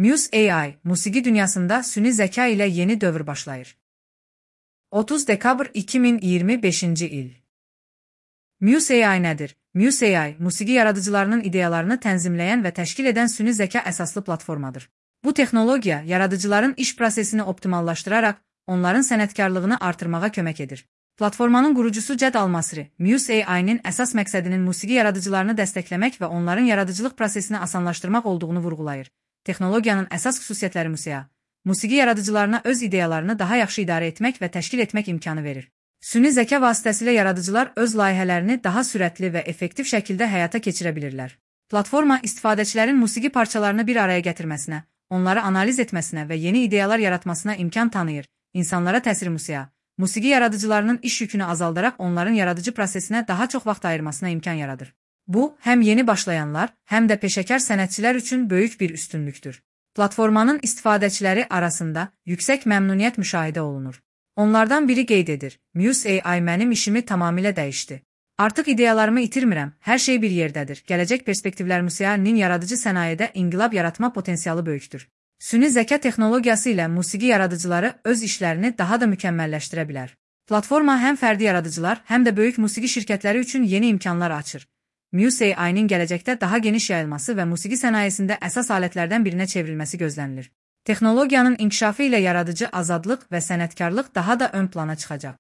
Muse AI, musiqi dünyasında süni zəka ilə yeni dövr başlayır. 30 dekabr 2025-ci il. Muse AI nədir? Muse AI, musiqi yaradıcılarının ideyalarını tənzimləyən və təşkil edən süni zəka əsaslı platformadır. Bu texnologiya, yaradıcıların iş prosesini optimallaşdıraraq, onların sənətkarlığını artırmağa kömək edir. Platformanın qurucusu Ced Almasri, Muse AI-nin əsas məqsədinin musiqi yaradıcılarını dəstəkləmək və onların yaradıcılıq prosesini asanlaşdırmaq olduğunu vurğulayır. Texnologiyanın əsas xüsusiyyətləri musiqi yaradıcılarına öz ideyalarını daha yaxşı idarə etmək və təşkil etmək imkanı verir. Süni zəka vasitəsilə yaradıcılar öz layihələrini daha sürətli və effektiv şəkildə həyata keçirə bilirlər. Platforma istifadəçilərin musiqi parçalarını bir araya gətirməsinə, onları analiz etməsinə və yeni ideyalar yaratmasına imkan tanıyır. İnsanlara təsir musiqi yaradıcılarının iş yükünü azaldaraq onların yaradıcı prosesinə daha çox vaxt ayırmasına imkan yaradır. Bu, həm yeni başlayanlar, həm də peşəkar sənətçilər üçün böyük bir üstünlükdür. Platformanın istifadəçiləri arasında yüksək məmnuniyyət müşahidə olunur. Onlardan biri qeyd edir: Muse AI mənim işimi tamamilə dəyişdi. Artıq ideyalarımı itirmirəm, hər şey bir yerdədir. Gələcək perspektivlər Muse AI-nin yaradıcı sənayedə inqilab yaratma potensialı böyükdür. Süni zəka texnologiyası ilə musiqi yaradıcıları öz işlərini daha da mükəmməlləşdirə bilər. Platforma həm fərdi yaradıcılar, həm də böyük musiqi şirkətləri üçün yeni imkanlar açır. Muse AI-nin gələcəkdə daha geniş yayılması və musiqi sənayesində əsas alətlərdən birinə çevrilməsi gözlənilir. Texnologiyanın inkişafı ilə yaradıcı azadlıq və sənətkarlıq daha da ön plana çıxacaq.